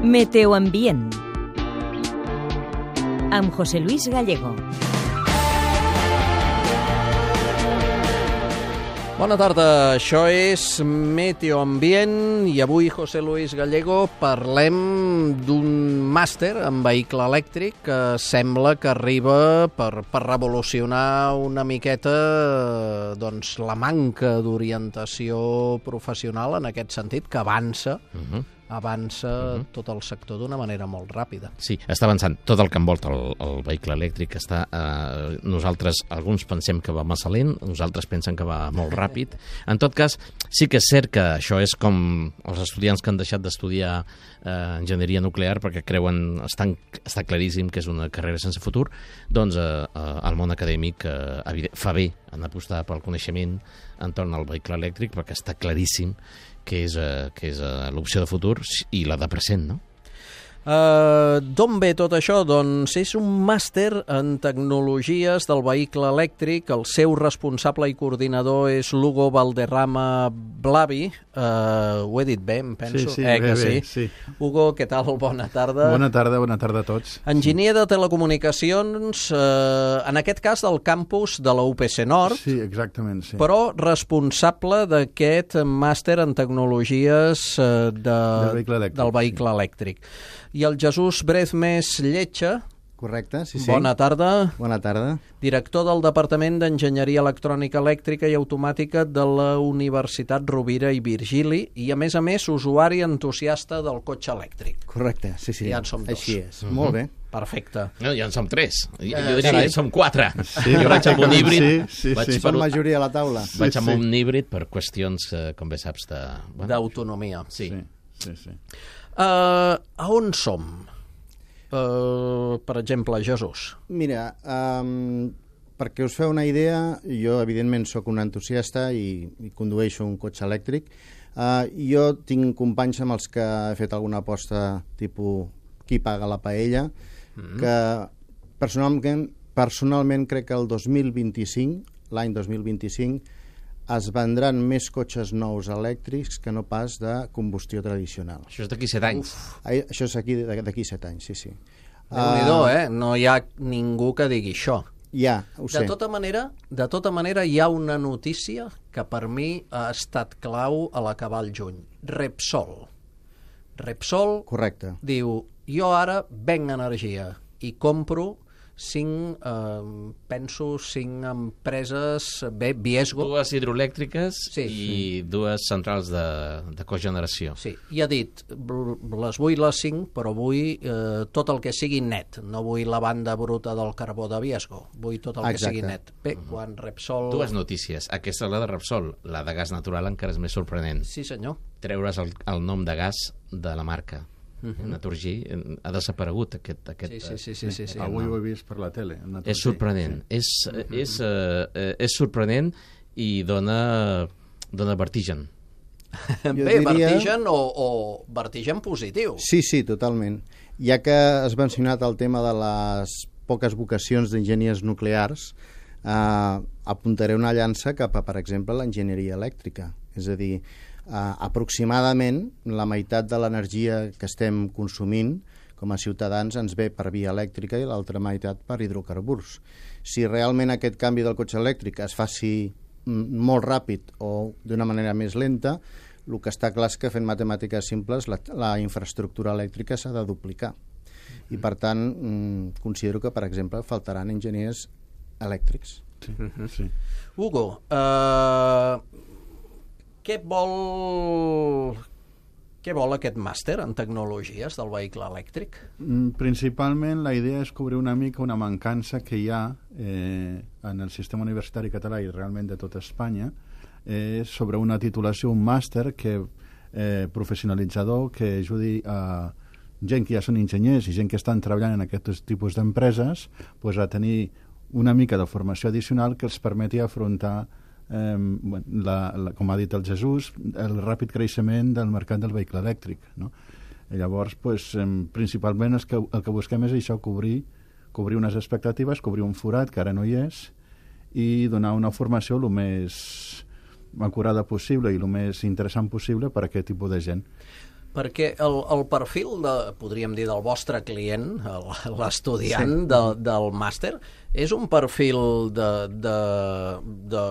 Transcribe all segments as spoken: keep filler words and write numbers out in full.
Meteoambient amb José Luis Gallego. Bona tarda, això és Meteoambient i avui, José Luis Gallego, parlem d'un màster en vehicle elèctric que sembla que arriba per, per revolucionar una miqueta doncs, la manca d'orientació professional en aquest sentit, que avança, uh-huh. avança uh-huh. tot el sector d'una manera molt ràpida. Sí, està avançant tot el que envolta el, el vehicle elèctric. Està, eh, nosaltres, alguns pensem que va massa lent, nosaltres pensen que va molt ràpid. En tot cas, sí que és cert que això és com els estudiants que han deixat d'estudiar eh, enginyeria nuclear perquè creuen, estan, està claríssim que és una carrera sense futur, doncs eh, eh, el món acadèmic eh, fa bé en apostar pel coneixement entorn al vehicle elèctric perquè està claríssim que és, uh, que és uh, l'opció de futur i la de present, no? Uh, D'on ve tot això? Doncs és un màster en tecnologies del vehicle elèctric. El seu responsable i coordinador és Lugo Valderrama Blavi. Uh, ho he dit bé, em penso? Sí, sí, eh, bé, que bé, sí. sí. Hugo, què tal? Bona tarda. Bona tarda, bona tarda a tots. Enginyer de telecomunicacions, uh, en aquest cas del campus de la U P C Nord. Sí, exactament, sí. Però responsable d'aquest màster en tecnologies uh, de, del vehicle elèctric. Del vehicle sí. elèctric. I el Jesús Brezmes Lletja. Correcte, sí, sí. Bona tarda. Bona tarda. Director del Departament d'Enginyeria Electrònica Elèctrica i Automàtica de la Universitat Rovira i Virgili i, a més a més, usuari entusiasta del cotxe elèctric. Correcte, sí, sí. Ja en som dos. Així és. Uh-huh. Molt bé. Perfecte. No, ja en som tres. Jo, Eh, jo diria sí. que som quatre. Sí, jo vaig amb un híbrid. Sí, sí, vaig sí. per Som un, majoria a la taula. Sí, vaig amb sí. un híbrid per qüestions, eh, com bé saps, de... Bueno, D'autonomia. sí. Sí, sí, sí. Uh, a on som? Uh, per exemple, Jesús. Mira, um, perquè us feu una idea, jo evidentment sóc un entusiasta i, i condueixo un cotxe elèctric. Uh, jo tinc companys amb els que he fet alguna aposta tipus qui paga la paella, mm-hmm. que personalment, personalment crec que el dos mil vint-i-cinc, l'any dos mil vint-i-cinc, es vendran més cotxes nous elèctrics que no pas de combustió tradicional. Això és d'aquí set anys. Ai, això és aquí d'aquí set anys, sí, sí. Déu-n'hi-do, eh? No hi ha ningú que digui això. Ja, ho sé. De tota manera, de tota manera hi ha una notícia que per mi ha estat clau a l'acabar el juny. Repsol. Repsol Correcte. diu, jo ara venc energia i compro cinc, eh, penso, cinc empreses, bé, Viesgo. Dues hidroelèctriques Sí. i dues centrals de, de cogeneració. Sí, i ha dit, les vull les cinc, però vull eh, tot el que sigui net. No vull la banda bruta del carbó de Viesgo, vull tot el Exacte. que sigui net. Bé, quan Repsol... Dues notícies. Aquesta és la de Repsol. La de gas natural encara és més sorprenent. Sí, senyor. Treure's el, el nom de gas de la marca. Uh-huh. Naturgy ha desaparegut aquest, aquest Sí, sí, sí, sí, sí, sí. Avui ho he vist per la tele. és sorprenent, sí. és, és, uh, és sorprenent i dona, dona vertigen. Jo Bé, diria- vertigen o, o vertigen positiu. Sí, sí, totalment. Ja que has mencionat el tema de les poques vocacions d'enginyers nuclears, eh, apuntaré una llança cap a, per exemple, l'enginyeria elèctrica. És a dir, Uh, aproximadament la meitat de l'energia que estem consumint com a ciutadans ens ve per via elèctrica i l'altra meitat per hidrocarburs. Si realment aquest canvi del cotxe elèctric es faci mm, molt ràpid o d'una manera més lenta, el que està clar és que fent matemàtiques simples la, la infraestructura elèctrica s'ha de duplicar. I per tant mm, considero que, per exemple, faltaran enginyers elèctrics. Sí, sí. Hugo, eh... Què vol... Què vol aquest màster en tecnologies del vehicle elèctric? Principalment la idea és cobrir una mica una mancança que hi ha eh, en el sistema universitari català i realment de tota Espanya eh, sobre una titulació, un màster que, eh, professionalitzador que ajudi a gent que ja són enginyers i gent que estan treballant en aquests tipus d'empreses pues, a tenir una mica de formació addicional que els permeti afrontar Eh, la, la, com ha dit el Jesús, el ràpid creixement del mercat del vehicle elèctric, no? I llavors, pues, eh, principalment el que, el que busquem és això, cobrir, cobrir unes expectatives, cobrir un forat que ara no hi és i donar una formació el més acurada possible i el més interessant possible per a aquest tipus de gent. Perquè el, el perfil, de, podríem dir, del vostre client, l'estudiant sí. de, del màster, és un perfil de, de, de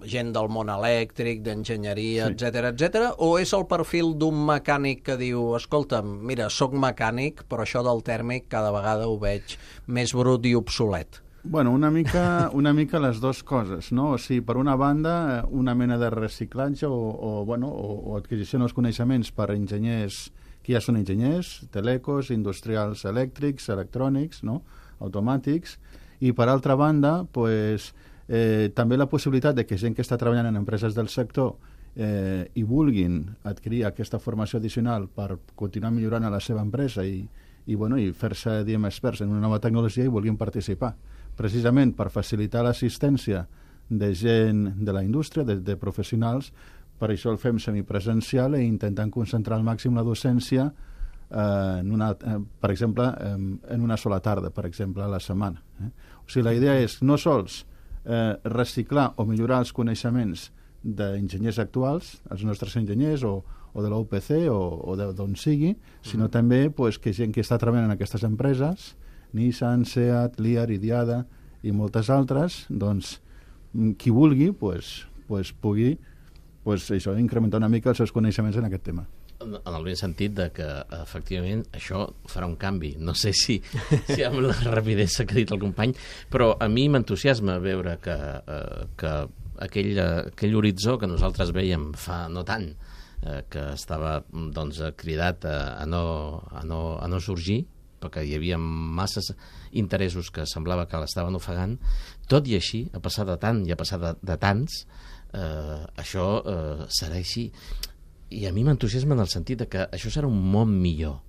gent del món elèctric, d'enginyeria, sí. etcètera, etcètera, o és el perfil d'un mecànic que diu, escolta, mira, sóc mecànic, però això del tèrmic cada vegada ho veig més brut i obsolet? Bueno, una mica, una mica les dues coses, no? O sigui, per una banda, una mena de reciclatge o, o, bueno, o, o adquisició dels coneixements per enginyers que ja són enginyers, telecos, industrials elèctrics, electrònics, no? Automàtics, i per altra banda, pues, Eh, també la possibilitat de que gent que està treballant en empreses del sector eh, i vulguin adquirir aquesta formació addicional per continuar millorant a la seva empresa i, i, bueno, i fer-se, diguem, experts en una nova tecnologia i vulguin participar. Precisament per facilitar l'assistència de gent de la indústria, de, de professionals, per això el fem semipresencial i intentant concentrar al màxim la docència eh, en una, eh, per exemple, eh, en una sola tarda, per exemple, a la setmana. Eh? O sigui, la idea és no sols Eh, reciclar o millorar els coneixements d'enginyers actuals, els nostres enginyers o, o de l'U P C o, o d'on sigui, sinó mm. també pues, que gent que està treballant en aquestes empreses, Nissan, Seat, Liar, Idiada i moltes altres, doncs qui vulgui pues, pues, pugui pues, això, incrementar una mica els seus coneixements en aquest tema. En el ben sentit de que, efectivament, això farà un canvi. No sé si, si amb la rapidesa que ha dit el company, però a mi m'entusiasma veure que, eh, que aquell, aquell horitzó que nosaltres veiem fa no tant, eh, que estava doncs, cridat a, a, no, a, no, a no sorgir, perquè hi havia masses interessos que semblava que l'estaven ofegant, tot i així, a passar de tant i a passar de, de tants, eh, això eh, serà així. I a mi m'entusiasma en el sentit de que això serà un món millor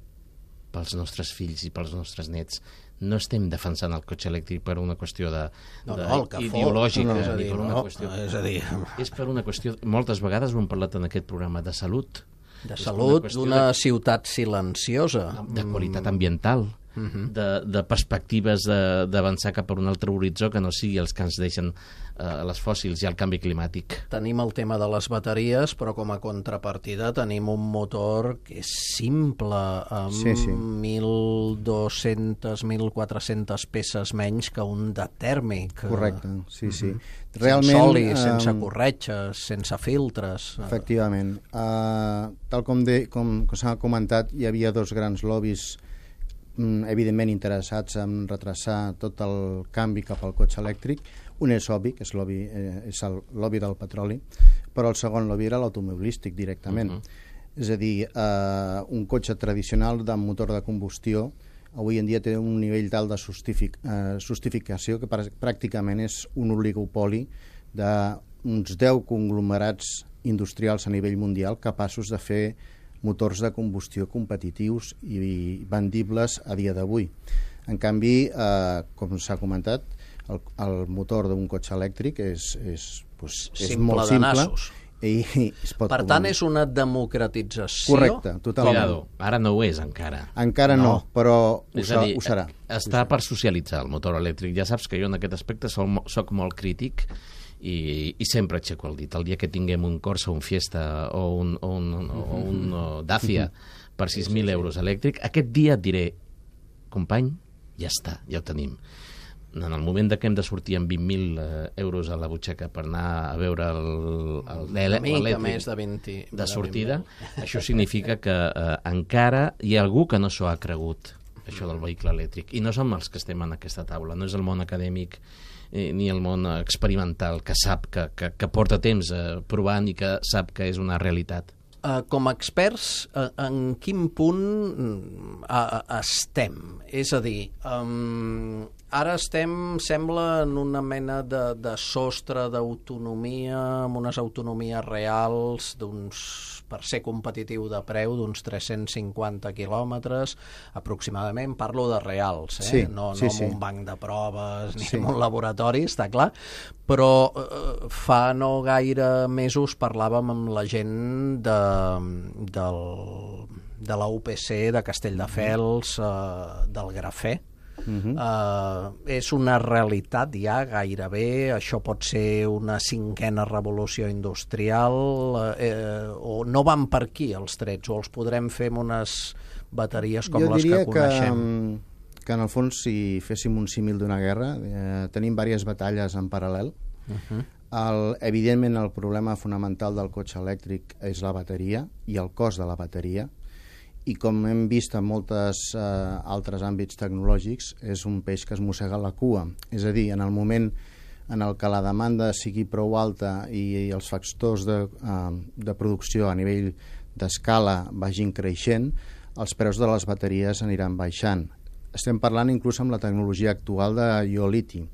pels nostres fills i pels nostres nets. No estem defensant el cotxe elèctric per una qüestió de, no, de no, ideològica, no, no, ni per una no, qüestió... És a dir... És per una qüestió... Moltes vegades ho hem parlat en aquest programa de salut. De salut, d'una de, ciutat silenciosa. De qualitat ambiental. Uh-huh. de, de perspectives d'avançar cap a un altre horitzó que no sigui els que ens deixen eh, les fòssils i el canvi climàtic. Tenim el tema de les bateries, però com a contrapartida tenim un motor que és simple, amb sí, sí. mil dos-centes, mil quatre-centes peces menys que un de tèrmic. Correcte, sí, sí. Uh-huh. Realment, sense oli, uh, sense corretges, sense filtres. Efectivament. Uh, tal com, de, com, com s'ha comentat, hi havia dos grans lobbies evidentment interessats en retrasar tot el canvi cap al cotxe elèctric. Un és obvi, que és, lobby, eh, és el lobby del petroli, però el segon lobby era l'automobilístic directament. Uh-huh. És a dir, eh, un cotxe tradicional de motor de combustió avui en dia té un nivell tal de justific, eh, justificació que pràcticament és un oligopoli d'uns deu conglomerats industrials a nivell mundial capaços de fer motors de combustió competitius i vendibles a dia d'avui. En canvi, eh, com s'ha comentat, el, el motor d'un cotxe elèctric és, és, pues, és molt simple i es pot per tant, és una democratització. Correcte, totalment. Cuidado, ara no ho és encara. Encara no, no però ho, és a dir, ho serà. Està per socialitzar el motor elèctric. Ja saps que jo en aquest aspecte soc, soc molt crític i, i sempre aixeco el dit. El dia que tinguem un Corsa, un Fiesta o un, o un, o un o Dacia per sis mil euros elèctric, aquest dia et diré, company, ja està, ja ho tenim. En el moment que hem de sortir amb vint mil euros a la butxaca per anar a veure l'elèctric més de, vint, de sortida, això significa que eh, encara hi ha algú que no s'ho ha cregut, això del vehicle elèctric. I no som els que estem en aquesta taula, no és el món acadèmic eh, ni el món experimental que sap, que, que, que porta temps eh, provant i que sap que és una realitat. Uh, com a experts, uh, en quin punt uh, estem? És a dir, um, ara estem, sembla, en una mena de, de sostre d'autonomia, amb unes autonomies reals d'uns, per ser competitiu de preu, d'uns tres-cents cinquanta quilòmetres, aproximadament. Parlo de reals, eh? Sí, no, no sí, en sí. un banc de proves ni sí. en un laboratori, està clar, però eh, fa no gaire mesos parlàvem amb la gent de, del, de la U P C de Castelldefels, eh, del grafè, uh-huh. uh, és una realitat ja gairebé, això pot ser una cinquena revolució industrial, eh, o no van per aquí els trets, o els podrem fer amb unes bateries com jo les que coneixem? Jo diria que, que en el fons, si féssim un símil d'una guerra, eh, tenim diverses batalles en paral·lel. Uh-huh. el, evidentment, el problema fonamental del cotxe elèctric és la bateria i el cost de la bateria, i com hem vist en molts eh, altres àmbits tecnològics, és un peix que es mossega la cua. És a dir, en el moment en el que la demanda sigui prou alta i, i els factors de, eh, de producció a nivell d'escala vagin creixent, els preus de les bateries aniran baixant. Estem parlant inclús amb la tecnologia actual de ió-liti.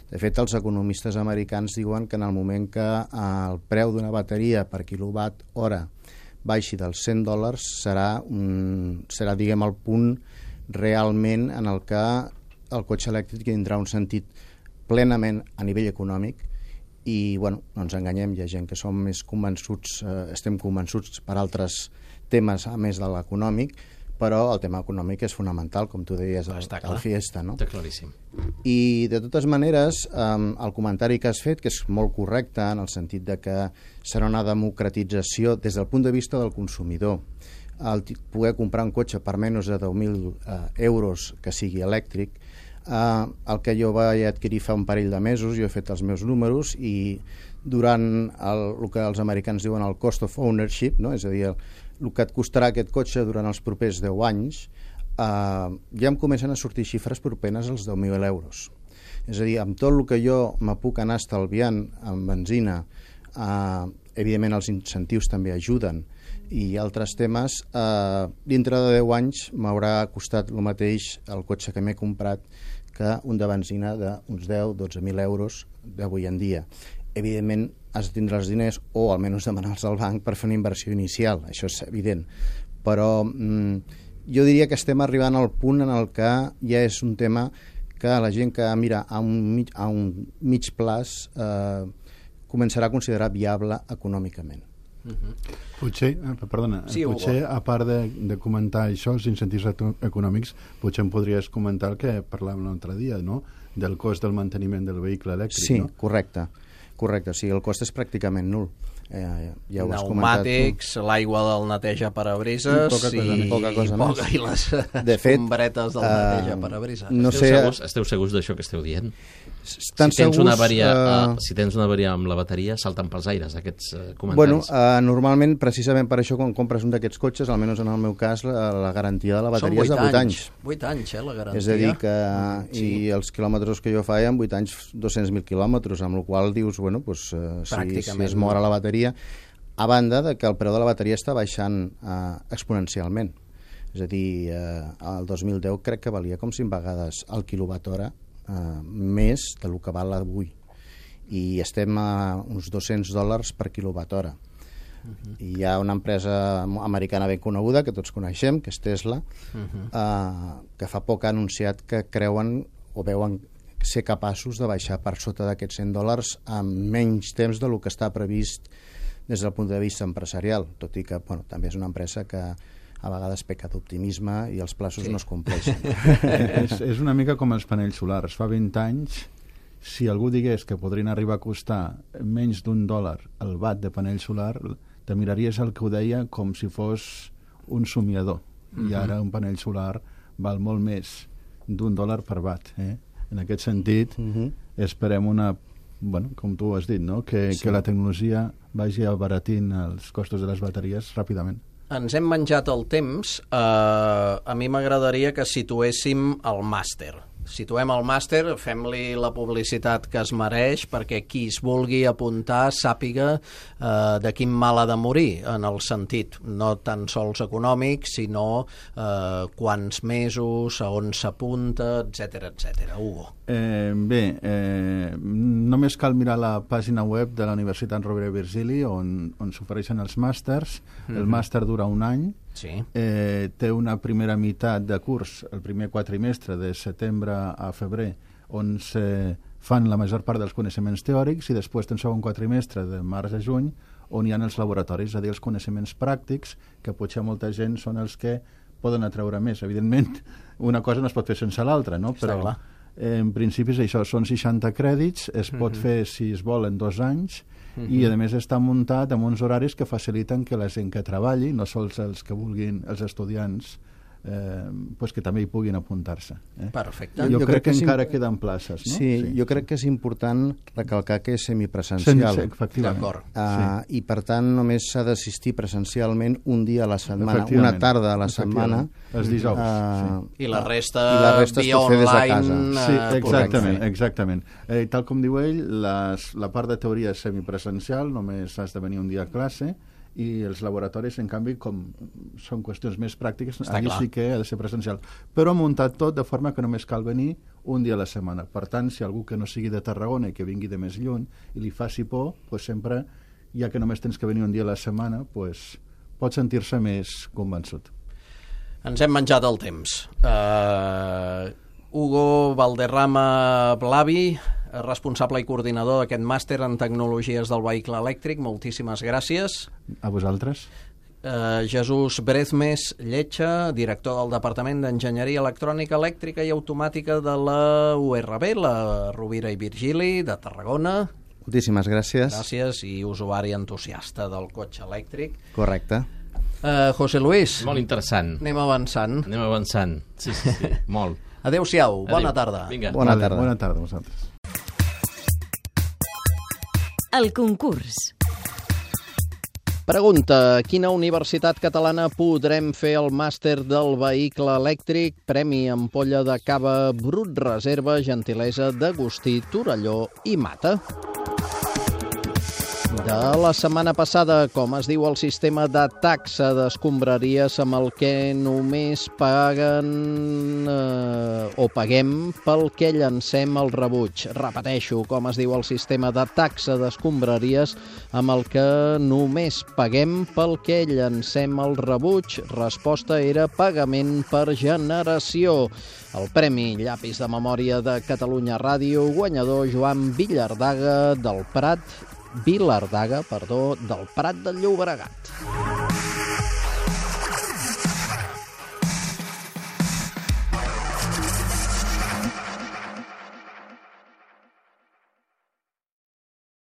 De fet, els economistes americans diuen que en el moment que eh, el preu d'una bateria per quilowatt hora baixi dels cent dòlars serà, un, serà diguem, el punt realment en el que el cotxe elèctric tindrà un sentit plenament a nivell econòmic. I, bueno, no ens enganyem, hi ha gent que som més convençuts, eh, estem convençuts per altres temes a més de l'econòmic, però el tema econòmic és fonamental, com tu deies, el, el Fiesta, no? Està claríssim. I, de totes maneres, eh, el comentari que has fet, que és molt correcte, en el sentit de que serà una democratització des del punt de vista del consumidor. El poder comprar un cotxe per menys de deu mil eh, euros que sigui elèctric, eh, el que jo vaig adquirir fa un parell de mesos, jo he fet els meus números, i durant el, el que els americans diuen el cost of ownership, no? És a dir, el, el que et costarà aquest cotxe durant els propers deu anys, eh, ja em comencen a sortir xifres propenes als deu mil euros. És a dir, amb tot el que jo me puc anar estalviant en benzina, eh, evidentment els incentius també ajuden, i altres temes, eh, dintre de deu anys m'haurà costat el mateix el cotxe que m'he comprat que un de benzina d'uns deu a dotze mil euros d'avui en dia. Evidentment, has de tindre els diners o almenys demanar-los al banc per fer una inversió inicial, això és evident. Però mm, jo diria que estem arribant al punt en el que ja és un tema que la gent que mira a un mig, a un mig plaç eh, començarà a considerar viable econòmicament. Uh-huh. Potser, perdona, sí, potser a part de, de comentar això, els incentius econòmics, potser em podries comentar el que parlàvem l'altre dia, no? Del cost del manteniment del vehicle elèctric, sí, no? Sí, correcte. Correcte, o sigui, el cost és pràcticament nul. Eh, ja ho has Pneumàtics, l'aigua del neteja parabrises poca cosa, i, poca cosa i, poca, i les escombretes del neteja parabrises. No esteu, sé, segurs, esteu segurs d'això que esteu dient? Estan si, tens segurs, una avaria, uh... uh, si tens una avaria amb la bateria, salten pels aires aquests uh, comentaris. Bueno, uh, normalment, precisament per això, quan compres un d'aquests cotxes, almenys en el meu cas, la, la garantia de la bateria és de vuit anys. vuit anys, eh, la garantia. És a dir, que sí. I els quilòmetres que jo faig, en vuit anys, dos-cents mil quilòmetres, amb la qual dius, bueno, pues, uh, si, si es mor a la bateria, a banda de que el preu de la bateria està baixant uh, exponencialment. És a dir, uh, el dos mil deu crec que valia com cinc vegades el quilowatt hora Uh, més del que val avui, i estem a uns dos-cents dòlars per quilowatt hora. Uh-huh. I hi ha una empresa americana ben coneguda que tots coneixem, que és Tesla, uh-huh. uh, que fa poc ha anunciat que creuen o veuen ser capaços de baixar per sota d'aquests cent dòlars en menys temps del que està previst des del punt de vista empresarial, tot i que, bueno, també és una empresa que a vegades peca d'optimisme i els plaços sí. no es compleixen. és, és una mica com els panells solars. Fa vint anys, si algú digués que podrien arribar a costar menys d'un dòlar el watt de panell solar, te miraries el que ho deia com si fos un somiador. Uh-huh. I ara un panell solar val molt més d'un dòlar per watt. Eh? En aquest sentit, uh-huh. esperem una... Bueno, com tu has dit, no? que, sí. que la tecnologia vagi abaratint els costos de les bateries ràpidament. Ens hem menjat el temps. Uh, a mi m'agradaria que situéssim el màster. Situem el màster, fem-li la publicitat que es mereix perquè qui es vulgui apuntar sàpiga uh, de quin mal ha de morir, en el sentit no tan sols econòmic, sinó uh, quants mesos, a on s'apunta, etcètera, etcètera. Hugo. Eh, bé, eh, només cal mirar la pàgina web de la Universitat Rovira i Virgili on, on s'ofereixen els màsters. Mm-hmm. El màster dura un any. Sí. Eh, té una primera meitat de curs, el primer quatrimestre de setembre a febrer, on se fan la major part dels coneixements teòrics, i després té un segon quatrimestre de març a juny on hi ha els laboratoris, és a dir, els coneixements pràctics, que potser molta gent són els que poden atreure més. Evidentment, una cosa no es pot fer sense l'altra, no? Està Però clar. eh, en principi és això, són seixanta crèdits, es pot Mhm. fer, si es vol, en dos anys, Mhm. i a més està muntat amb uns horaris que faciliten que la gent que treballi, no sols els que vulguin, els estudiants, eh, pues que també hi puguin apuntar-se. Eh? Perfecte. Jo, Jo crec, crec que que és encara im- queden places, no? Sí, jo crec que és important recalcar que és semipresencial. Sense, efectivament. D'acord. Uh, I per tant només s'ha d'assistir presencialment un dia a la setmana, Efectivament. una tarda a la setmana. Efectivament. Els dijous, Uh, I la resta, I la resta es via pot fer des de online. casa. Sí, eh, exactament, correcte. exactament. Eh, tal com diu ell, les, la part de teoria és semipresencial, només has de venir un dia a classe, i els laboratoris, en canvi, com són qüestions més pràctiques, Està allí clar. sí que ha de ser presencial. Però muntat tot de forma que només cal venir un dia a la setmana. Per tant, si algú que no sigui de Tarragona i que vingui de més lluny i li faci por, pues sempre, ja que només tens que venir un dia a la setmana, pues, pot sentir-se més convençut. Ens hem menjat el temps. Uh, Hugo Valderrama Blavi, responsable i coordinador d'aquest màster en tecnologies del vehicle elèctric, moltíssimes gràcies. A vosaltres? Uh, Jesús Brezmes Lletja, director del Departament d'Enginyeria Electrònica, Elèctrica i Automàtica de la U R B, la Rovira i Virgili, de Tarragona. Moltíssimes gràcies. Gràcies, i usuari entusiasta del cotxe elèctric. Correcte. Uh, José Luis, Molt interessant. anem avançant. Anem avançant. Sí, sí, sí. Molt. Adéu-siau, bona Adéu. tarda. Vinga. Bona Vale, tarda. Bona tarda a vosaltres. El concurs. Pregunta: quina universitat catalana podrem fer el màster del vehicle elèctric? Premi ampolla de cava Brut Reserva, gentilesa d'Agustí Torelló i Mata. De la setmana passada, com es diu el sistema de taxa d'escombraries amb el que només paguen eh, o paguem pel que llancem el rebuig? Repeteixo, com es diu el sistema de taxa d'escombraries amb el que només paguem pel que llancem el rebuig? Resposta era pagament per generació. El Premi Llapis de Memòria de Catalunya Ràdio, guanyador Joan Villardaga del Prat, Vilardaga, perdó, del Prat de Llobregat.